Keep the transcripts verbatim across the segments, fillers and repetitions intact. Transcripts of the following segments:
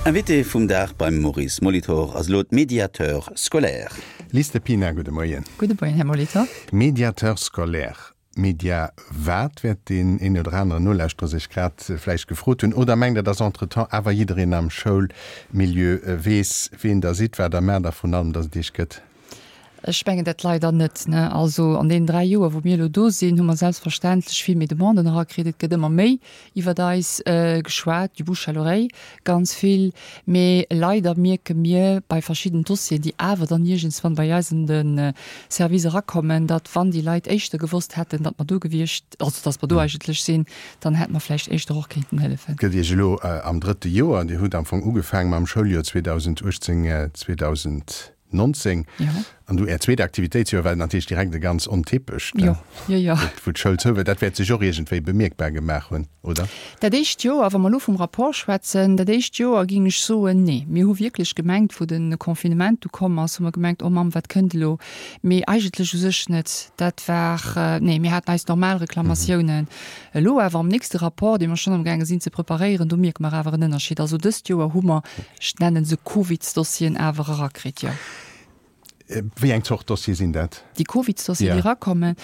Invité vum Dag beim Maurice Molitor ass elo d'Médiateur scolaire. Liz Depina, gudde Moien. Gudde Moien, Här Molitor. Médiateur scolaire, Media wat, wäert deen een oder aneren Nolauschterer sech grad vläicht gefrot hunn. Oder mengt Der, dass entretemps awer jiddereen am Schoulmilieu weess, ween Der sidd, wat Der maacht a vrun allem, dass et Iech gëtt? Ech mengen dat leider net. Also an deenen dräi Joer, wou mir elo do sinn, hu mer selbstverständlech vill méi Demanden erakritt. Et gëtt ëmmer méi iwwert eis geschwat, du bouche à l'oreille ganz vill. Mee leider mierke mir bei verschidden Dossieren, déi awer dann iergendswann bei eis an de Service erakommen, datt wann déi Leit éischter gewosst hätten, datt mer do gewiescht, also datt mer do eigentlech sinn, dann hätte mer vläicht éischter och kéinten hëllefen. Et gëtt Iech elo am drëtte Joer. Dir hutt am Fong ugefaangen mam Schouljoer zweedausendachtzéng, zweedausendnonzéng An du Är zweet Aktivitéitsjoer war natierlech direkt e ganz ontypescht, Jo, jo, jo. wou d'Schoul zou war. Dat wäert sech och iergendwéi bemierkbar gemaach hunn, oder? Dat éischt Joer, wa mer elo vum Rapport schwätzen, dat éischt Joer géing ech soen, nee. Mir hu wierklech gemengt, wou de Confinement du komm ass, hu mer gemengt, oh Mamm, wat kënnt elo? Mee eigentlech u sech net. Dat war, nee, mir haten eis normal Reklamatiounen. Elo awer am nächste Rapport, dee mer schonn amgaange sinn ze preparéieren, do mierke mer awer en Ënnerscheed. Also dëst Joer hu mer, ech nennen se Covidsdossieren, awer erakritt, jo. Wéi eng Zort Dossiere sinn dat? Déi Covidsdossieren, déi erakommen?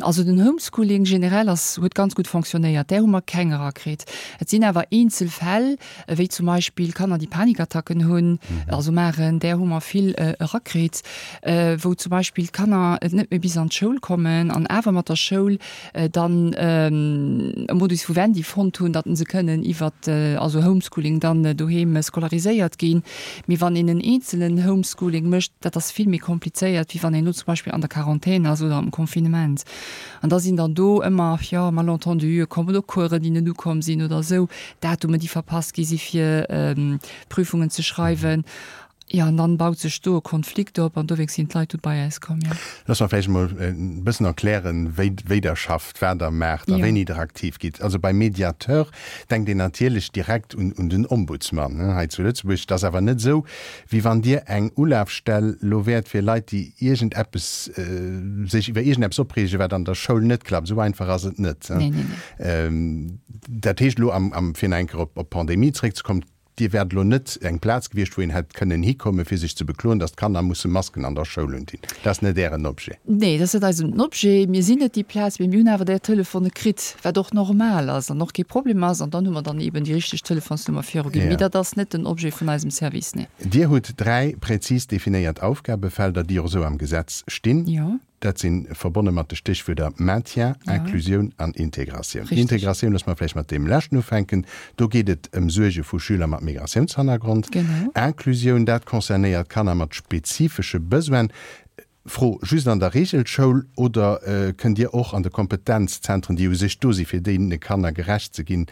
Also den Homeschooling generell ass, huet ganz gutt fonctionnéiert. Där hu mer keng erakritt. Et sinn awer eenzel Fäll, wéi zum Beispill Kanner, déi Panikattacken hunn, also maachen, där hu mer vill erakritt, wou zum Beispill d'Kanner net méi bis an d'Schoul kommen an awer mat der Schoul dann e Modus vivendi fonnt hunn, datt se kënnen iwwert, also Homeschooling dann doheem scolariséiert ginn. Mee wann een en eenzelen Homeschooling mécht, dat ass vill méi komplizéiert, wéi wann een elo zum Beispill an der Quarantän ass oder am Confinement. An da sinn dann do ëmmer, jo, Malentenduen komm oder Coursen, déi net ukomm sinn oder esou, Datumen, déi verpasst gi si fir Prüfungen ze schreiwen. Jo, an dann baut sech do e Konflikt op an dowéinst sinn d'Leit du bei eis komm, jo. Looss mer vläicht emol e bëssen erklären, wéi, wéi Der schafft, wat Der maacht a wéini Der aktiv gitt. Also beim Mediateur denkt een natierlech direkt un, un den Ombudsman hei zu Lëtzebuerg. Et ass awer net esou, wéi wann Dir eng Ulafstell elo wäert fir Leit, déi iergendeppes, sech iwwer iergendeppes opreegen, wat an der Schoul net klappt. Esou einfach ass et net. Nee, nee, nee. Dat heescht elo, am, am, fir nach eng Kéier op, op d'Pandemie zréckzekommen, Dir wäert elo net eng Plaz gewiescht, wou een hätt kënnen hikommen, fir sech ze bekloen, datt d'Kanner musse Masken an der Schoul undinn. Dat ass net Ären Objet. Nee, dat ass net eisen Objet. Mir sinn net déi Plaz, mee mir hunn awer där Telefone kritt, wat och normal ass an och kee Problem ass. An dann hu mer dann eeben déi richteg Telefonsnummer viruginn. Mee dat ass net den Objet vun eisem Service, nee. Dir hutt dräi präzis definéiert Aufgabefelder, déi och esou am Gesetz stinn. Jo. Dat si verbonne mat de Stéchwierder Maintien, Inclusioun an Integratioun. Integratioun, loosse mer vläicht mat deem leschten ufänken. Do geet et ëm Suerge vu Schüler mat Migratiounshannergrond. Inclusioun, dat concernéiert Kanner mat spezifesche Besoinen. Fro, Just an der Reegelschoul oder kënnt Dir och an de Kompetenzzentren, déi u sech do si fir deene Kanner gerecht ze ginn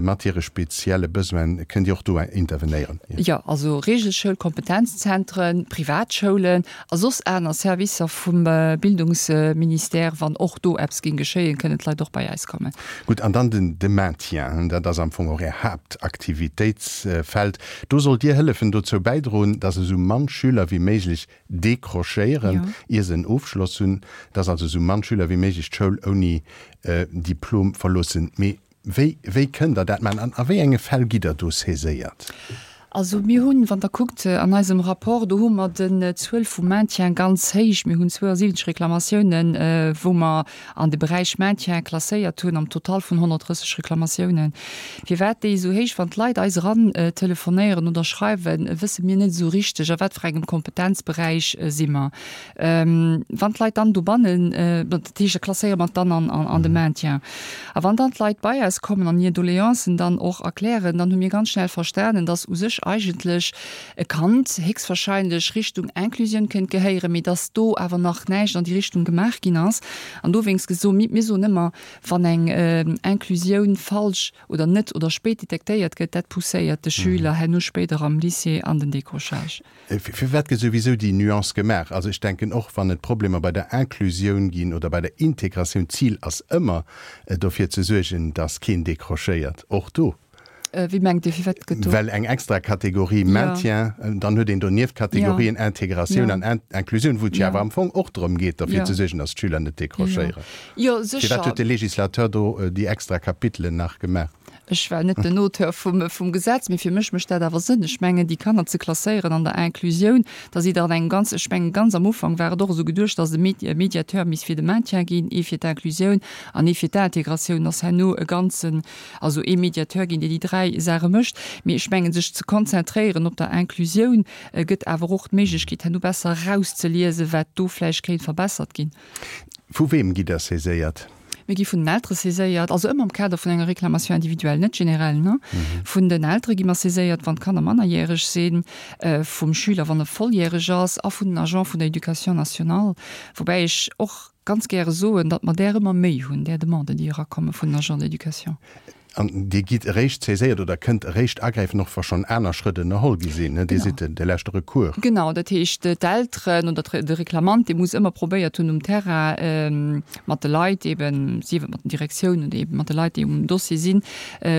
mat hire spezielle Besoinen, kënnt Dir och do intervenéieren? Jo, also Reegelschoul, Kompetenzzentren, Privatschoulen a soss aner Servicer vum Bildungsministère, wann och do eppes géing geschéien, kënnen d'Leit och bei eis kommen. Gutt, an dann den de Maintien, dat ass am Fong och Är Haaptaktivitéitsfeld. Do sollt Dir hëllefen, dozou bäidroen, dass esou mann Schüler wéi méiglech décrochéieren, ier se en Ofschloss hunn, dass also esou mann Schüler wéi méiglech d'Schoul ouni Diplom verloossen. Mee wéi, wéi kënnt Der dat maachen an a wéi enge Fäll gitt Der do saiséiert? Also mir hunn, wann Der kuckt an eisem Rapport, do hu mer den Zuel vum Maintien ganz héich. Mir hunn zwouasiwwenzeg Reklamatiounen, wou mer an de Beräich Maintien klasséiert hunn, am Total vun honnertdrësseg Reklamatiounen. Firwat déi esou héich, wann d'Leit eis eran telefonéieren oder schreiwen, wësse mir net esou richteg, a wat fir engem Kompetenzberäich si mer. Wann d'Leit dann dobannen, dat heescht, da klasséiere mer et dann an de Maintien. A wann dann d'Leit bei eis kommen an hir Doleancen dann och erklären, dann hu mir ganz schnell verstanen, dass u sech eigentlech e Kand héchstwahrscheinlech Richtung Inclusioun kéint gehéieren, mee dass do awer nach näischt an déi Richtung gemaach ginn ass. An dowéinst geso mir soen ëmmer, wann eng Inclusioun falsch oder net oder spéit detektéiert gëtt, dat pousséiert de Schüler herno spéider am Lycée an den Décrochage. Firwat gëtt souwisou déi Nuance gemaach? Also ech denken och, wann et Problemer bei der Inclusioun ginn oder bei der Integratioun, d'Zil ass ëmmer dofir ze suergen, dass keen décrochéiert, och do. Wéi mengt Dir, firwat gëtt do? Well eng extra Kategorie Maintien, dann huet een donieft Kategorien Integratioun an Inclusioun, wou et jo awer am Fong och drëm geet, derfir ze suergen, dass d'Schüler net décrochéieren. Jo, sécher. Firwat huet de Législateur do déi extra Kapitelen nach gemaach? Ech war net den Auteur vum, vum Gesetz, mee fir mech mécht dat awer Sënn. Ech mengen, déi Kanner ze klasséieren an der Inclusioun, da sidd Der an engem ganz, ech mengen, ganz am Ufank war et och esou geduecht, dass e Mediateur misst fir de Maintien ginn, ee fir d'Inclusioun an ee fir d'Integratioun, ass herno e ganzen, also ee Mediateur ginn, dee déi dräi Saache mécht. Mee ech mengen, sech ze konzentréieren op der Inclusioun, gëtt awer och d'Méiglechkeet, herno besser erauszeliesen, wat do vläicht kéint verbessert ginn. Vu weem gitt Der saiséiert? Mir gi vun den Eltere saiséiert, also ëmmer am Kader vun enger Réclamation individuelle, net generell, ne? Vun den Eltere gi mer saiséiert, wann d'Kanner mannerjäreg sinn, vum Schüler, wann e volljäreg ass, a vun den Agente vun der Éducation nationale. Woubäi ech och ganz gäre soen, datt mer där ëmmer méi hunn, där Demanden, déi erakomme vun den Agents d'éducation. An Dir gitt eréischt saiséiert oder kënnt eréischt agräifen, och wa schonn aner Schrëtt ënnerholl gi sinn, ne? Dir sidd de leschte Recours. Genau, dat heescht, d'Elteren oder de Reklamant, dee muss ëmmer probéiert hunn um Terrain mat de Leit eben, sief et mat den Direktiounen oder eben mat de Leit, déi um Dossier sinn,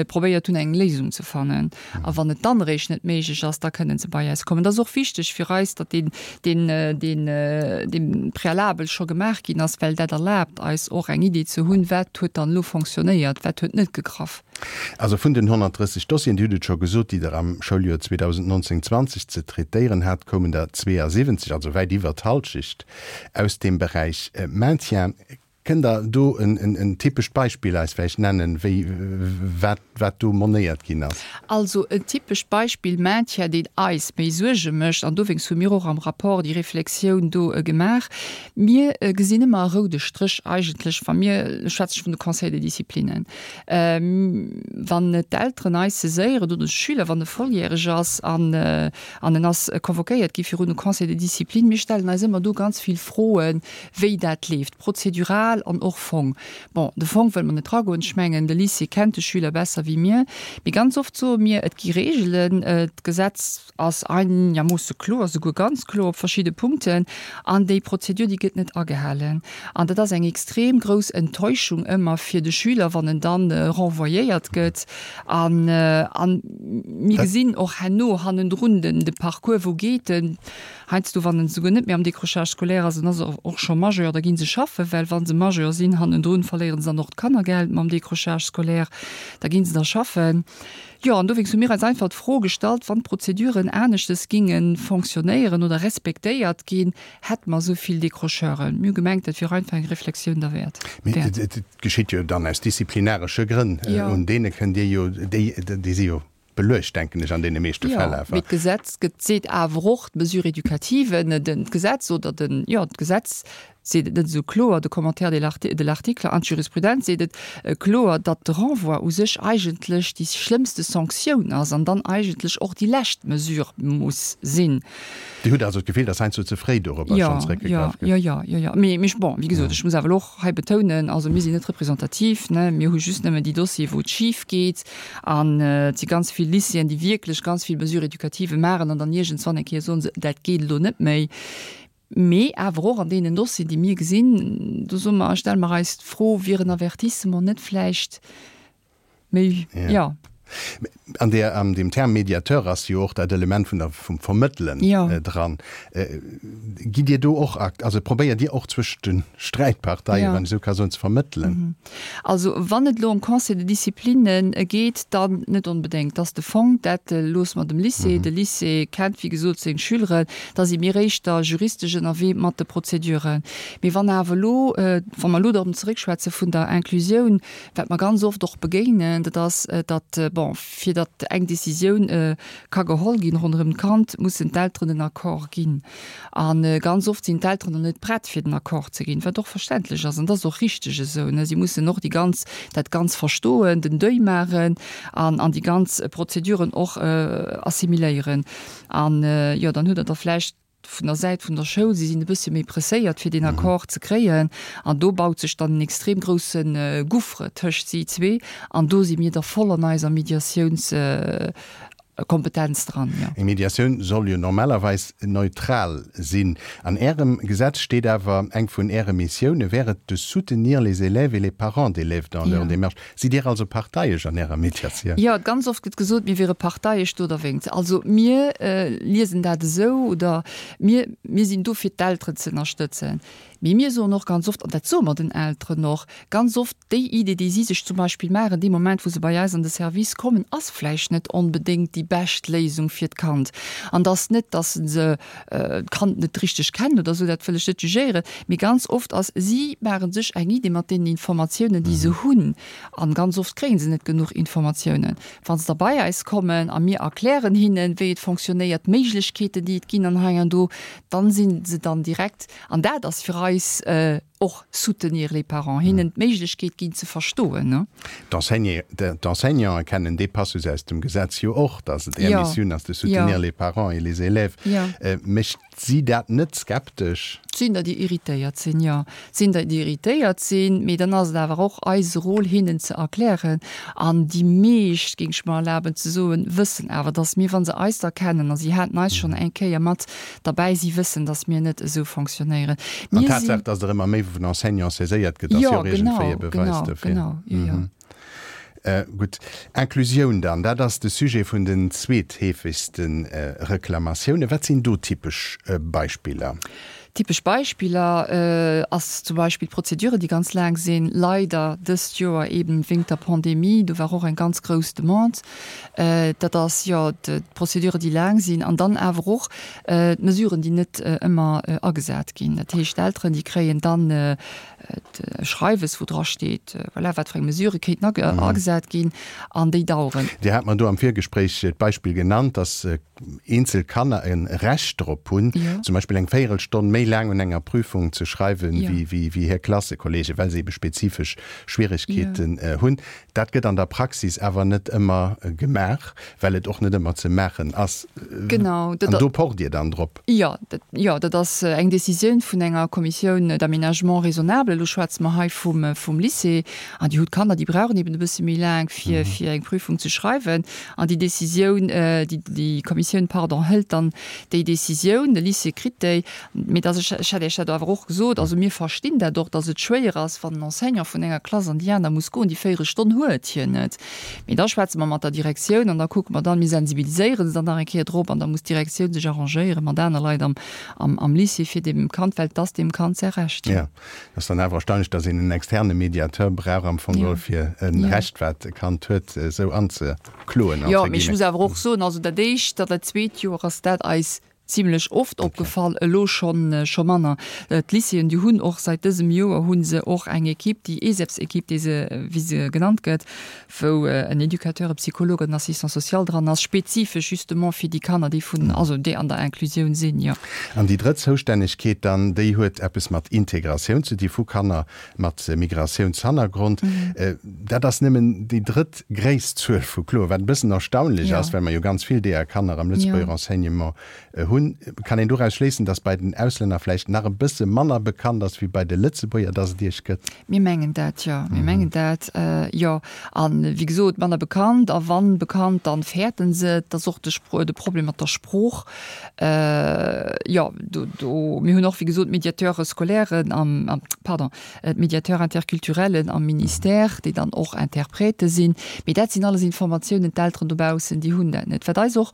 probéiert hunn, eng Léisung ze fannen. A wann et dann eréischt net méiglech ass, da kënnen se bei eis kommen. Dat ass och wichteg fir eis, datt deen, deen, deen, dee Préalabel scho gemaach ginn ass, well dat erlaabt eis och eng Idee ze hunn, wat huet dann elo fonctionnéiert, wat huet net gegraff. Also vun den honnertdrësseg Dossieren, Dir hutt et scho gesot, déi Der am Schouljoer zweedausendnonzéng zwanzeg ze traitéieren hat, koumen der zweeasiwwenzeg, also wäit iwwer d'Halschecht, aus deem Beräich Maintien. Kënnt Der do en typescht Beispill eis vläicht nennen, wéi, wat, wat do monéiert ginn ass? Also en typescht Beispill Maintien, deen eis méi Suerge mécht, an dowéinst hu mir och am Rapport déi Reflexioun do gemaach, Mir gesinn ëmmer e roude Stréch eigentlech, wa mir, elo schwätze ech vun de Conseils de disciplinen, wann d'Elteren eis saiséieren oder de Schüler, wann e volljäreg ass an en ass convoquéiert gi virun e Conseil de discipline, mir stellen eis ëmmer do ganz vill Froen, wéi dat leeft, prozedural an och Fong. Bon, de Fong wëlle mer net eragoen, ech mengen, de Lycée kennt de Schüler besser wéi mir, mee ganz oft soe mir, et gi Reegelen, d'Gesetz ass einermoosse kloer, souguer ganz kloer op verschidde Punkten, an déi Prozedur, déi gëtt net agehalen. An dat ass eng extrem grouss Enttäuschung ëmmer fir de Schüler, wann en dann renvoyéiert gëtt. An, an mir gesinn och herno hannendrun den, de Parcours, wou geet en. Heiansdo, wann en souguer net méi am Décrochage scolaire ass, en ass och scho Majeur, da gi se schaffen, well wa se Majeur sinn, hannendrun verléiere se dann och d'Kannergeld mam Décrochage scolaire, da gi se da schaffen. Jo, an dowéinst hu mir eis einfach d'Fro gestallt, wann d'Prozeduren aneschtes ginge fonctionnéieren oder respektéiert ginn, hätte mer esou vill Décrocheuren? Mir hu gemengt, dat wier einfach eng Reflexioun derwäert. Mee et geschitt jo dann aus disziplinaresche Grënn. Un deene kënnt Dir jo, déi, déi si jo beluecht, denken ech, an deene meeschte Fäll awer. Jo, mee d'Gesetz gëtt, seet awer och, d'Mesure éducative, d'Gesetz oder den, jo, d'Gesetz seet et net esou kloer, de Commentaire de l'arti-, de l'article an d'Jurisprudenz seet et kloer, datt de Renvoi u sech eigentlech déi schlëmmste Sanktioun ass an dann eigentlech och déi lescht Mesure muss sinn. Dir hutt also d'Gefill, datt heiansdo ze fréi dorobber schonn zeréckgegraff gëtt? Jo, jo, jo, jo. Mee, mee bon, wéi gesot, ech muss awer elo och hei betounen, also mir sinn net representativ, ne, mir hu just nëmmen déi Dossiere wou et schif geet an et si ganz vill Lycéeën, déi wierklech ganz vill Mesures éducatives maachen an dann iergendswann eng Kéier soen se, dat geet elo net méi. Mee awer och an deenen Dossieren, déi mir gesinn, do soe mer, stelle mer eis d'Fro, wier en Avertissement net vläicht méi, jo. An där, an deem Term Médiateur ass jo och dat Element vun der, vum Vermëttelen dran. Gitt Dir do och akt, also probéiert Dir och zwëschent de Sträitparteien, wann ech esou ka soen, ze vermëttelen? Also wann et elo ëm Conseil de discipline geet, dann net onbedéngt. Dat ass de Fong, dat loosse mer dem Lycée. De Lycée kennt, wéi gesot, seng Schüleren. Da si mir éischter juristesch ënnerwee mat de Prozeduren. Mee wann awer elo, wa mer elo dorëm zeréckschwätze vun der Inclusioun, wat mer ganz oft och begéinen, dat ass, datt, bon, fir datt eng Décisioun ka geholl ginn ronderëm d'Kand, mussen d'Elteren den Accord ginn. A ganz oft sinn d'Elteren dann net prett, fir den Accord ze ginn, wat och verständlech ass. An dat ass och richteg esou. Si mussen och déi ganz, dat Ganz verstoen, den Deuil maachen an an déi ganz Prozeduren och assimiléieren. An, jo, dann hutt Der da vläicht vun der Säit vun der Schoul, si sinn e bëssche méi presséiert, fir deen Accord ze kréien. An do baut sech dann en extrem grousse Gouffre tëscht si zwee. An do si mir da voll an eiser Mediatiouns, Kompetenz dran, jo. Eng Mediatioun soll jo normalerweis neutral sinn. An Ärem Gesetz steet awer, eng vun Äre Missioune wär et de soutenir les élèves et les parents d'élèves dans leur démarche. Sidd Dir also parteiesch an Ärer Mediatioun? Jo, ganz oft gëtt gesot, mir wiere parteiesch do derwéinst. Also mir liesen dat esou, oder mir, mir sinn do fir d'Elteren ze ënnerstëtzen. Mee mir soen och ganz oft, an dat soe mer den Elteren och ganz oft, déi Idee, déi si sech zum Beispill maachen dee Moment, wou se bei eis an de Service kommen, ass vläicht net onbedéngt déi bescht Léisung fir d'Kand. An et ass net, dass se d'Kand net richteg kennen oder esou, dat wëll ech net jugéieren, mee ganz oft ass, si maache sech eng Idee mat deenen Informatiounen, déi se hunn. An ganz oft kréie se net genuch Informatiounen. Wa se da bei eis kommen a mir erklären hinnen, wéi et fonctionnéiert, d'Méiglechkeeten, déi et ginn an hei an do, dann si se dann direkt, an dat ass fir eis och soutenir les parents, hinnen d'Méiglechkeet ginn ze verstoen, ne. D'Enseignanten kennen dee Passus aus dem Gesetz jo och, dass et är Missioun ass de soutenir les parents et les élèves. Mécht si dat net skeptesch? Et sinn der, déi irritéiert sinn, jo. Et sinn der, déi irritéiert sinn, mee dann ass et awer och eise Rôle, hinnen ze erklären. An déi meescht, géing ech mer erlaben ze soen, wëssen awer, dass mir, wa se eis da kennen, a si haten eis schonn eng Kéier mat derbäi, si wëssen, dass mir net esou fonctionnéieren. An d'Tatsaach, dass der ëmmer méi vun Enseignants saiséiert gëtt, ass jo och iergendwéi e Beweis dofir. Jo, genau, genau, jo, jo. Gutt, Inclusioun dann, dat ass de Sujet vun den zweetheefegste Reklamatiounen. Wat sinn do typesch Beispiller? Typesch Beispiller ass zum Beispill d'Prozeduren, déi ganz laang sinn, leider dëst Joer eben wéingt der Pandemie, do war och eng ganz grouss Demande. Dat ass, jo, d'Prozeduren, déi laang sinn an dann awer och d'Mesuren, déi net ëmmer agesat ginn. Dat heescht, d'Elteren, déi kréien dann e Schreiwes, wou dra steet, voilà, wat fir eng Mesurë kéinten agesat ginn an déi daueren. Dir hat mer do am Virgespréich d'Beispill genannt, dass eenzel Kanner e Recht drop hunn, zum Beispill eng Véierelstonn méi laang un enger Prüfung ze schreiwen, wéi hir Klassekollegen, well se ebe spezifesch Schwieregkeeten hunn. Dat gëtt an der Praxis awer net ëmmer gemaach, well et och net ëmmer ze maachen ass. Genau. An do pocht Dir dann drop? Jo, jo, dat ass eng Décisioun vun enger Commissioun d'aménagement raisonnable. Elo schwätze mer hei vum, vum Lycée. An déi hu Kanner, déi brauchen eben e bësse méi laang, fir, fir eng Prüfung ze schreiwen. An déi Décisioun, déi, déi Kommissioun, pardon, hëlt dann déi Décisioun, de Lycée kritt déi. Mee dass ech, ech hätt Iech dat awer och gesot, also mir verstinn dat och, dass et schwéier ass, wann en Enseignant vun enger Klass an déi aner muss goen, déi Véierelstonn huet hien net. Mee da schwätze mer mat der Direktioun an da kucke mer dann, mir sensibiliséiere se dann nach eng Kéier drop an da muss d'Direktioun sech arrangéiere mat aner Leit am, am, am Lycée fir deem Kand, well et ass deem Kand säi Recht. Jo, et ass dann awer erstaunlech, dass een en externe Mediateur brauch am Fong geholl, fir e Recht, wat e Kand huet, esou anzekloen. Jo, mee ech muss awer och soen, also dat éischt an dat zweet Joer ass dat eis zimlech oft opgefall, elo schonn scho manner. D'Lycéeën, déi hunn och säit dësem Joer hu se och eng Equipe, déi ESEPS-Equipe, déi se, wéi se genannt gëtt, wou en Éducateur, e Psychologue, en Assistant social dran ass, spezifesch justement fir déi Kanner, déi vun, also déi an der Inclusioun sinn, jo. An déi drëtt Zoustännegkeet dann, déi huet eppes mat Integratioun ze di vu Kanner mat Migratiounshannergrond. Dat ass nëmmen déi drëtt gréisst Zuel vu Kloen, wat e bëssen erstaunlech ass, well mer jo ganz vill deeër Kanner am Lëtzebuerger Enseignement hunn. Kann een doraus schléissen, dass bei den Auslänner vläicht nach e bësse manner bekannt ass wéi bei de Lëtzebuerger, dass et Iech gëtt? Mir mengen dat, jo. Mir mengen dat, jo. A wéi gesot, manner bekannt, a wann bekannt, dann fäerten se et. Et ass och de Spro-, de Problem mat der Sprooch. Jo, do, do, mir hunn och, wéi gesot, Médiateure scolairen am, pardon, d'Médiateurs interculturellen am Ministère, déi dann och Interprète sinn. Mee dat sinn alles Informatiounen, d'Elteren dobaussen, déi hunn dat net. Wat eis och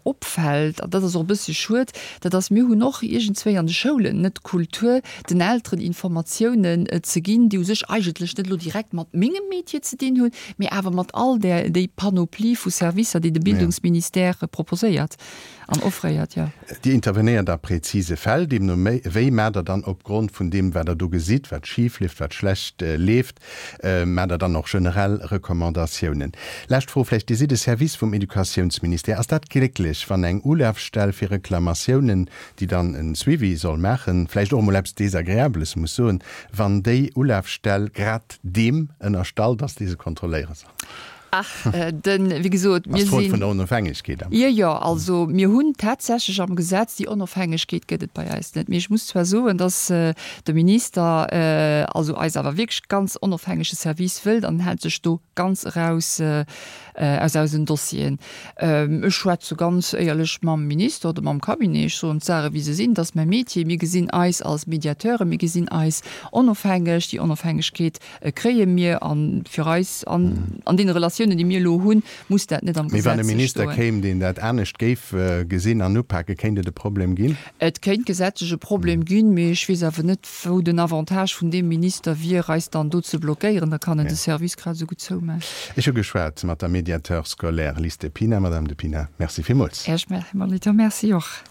opfält, an dat ass och e bësse schued, dat ass, mir hunn och iergendswéi an de Schoulen net d'Kultur, den Elteren Informatiounen ze ginn, déi u sech eigentlech net elo direkt mat mengem Métier ze dinn hunn, mee awer mat all där, déi Panoplie vu Servicer, déi de Bildungsministère proposéiert an offréiert, jo. Dir intervenéiert a präzise Fäll, deemno wéi maacht Der dann opgrond vun deem, wat Der do gesitt, wat schif leeft, wat schlecht leeft, maacht Der dann och generell Recommandatiounen? Lescht Fro vläicht, Dir sidd e Service vum Educatiounsministère. Ass dat glécklech, wann eng Ulafstell fir Reklamatiounen, déi dann e Suivi soll maachen, vläicht och emol eppes Desagreables muss soen, wann déi Ulafstell grad deem ënnerstallt ass, dee se kontrolléiere soll? Ach, den, wéi gesot, mir sinn. Vun der Onofhängegkeet am. Jo, jo, also mir hunn tatsächlech am Gesetz, déi Onofhängegkeet gëtt et bei eis net. Mee ech muss zwar soen, dass de Minister also eis awer wierklech ganz onofhängege Service wëllt an en hält sech do ganz eraus aus eisen Dossieren. Ech schwätze ganz éierlech mam Minister oder mam Cabinet, ech soen d'Saache wéi se sinn, dat ass mäi Metier. Mir gesinn eis als Mediateuren, mir gesinn eis onofhängeg, déi Onofhängegkeet kréie mir a fir eis an an deene Relatiounen, déi mir elo hunn, muss dat net am Gesetz stoen. Mee wann e Minister kéim, deen dat anescht géif gesinn an upaken, kéint et e Problem ginn? Et kéint gesetzlech e Problem ginn, mee ech weess awer net, wou den Avantage vun deem Minister wier, eis dann do ze blockéieren. Da kann en de Service grad esou gutt zoumaachen. Ech hu geschwat mat der Médiateur scolaire Lis De Pina. Madame De Pina, Merci villmools. Här Molitor, Merci och.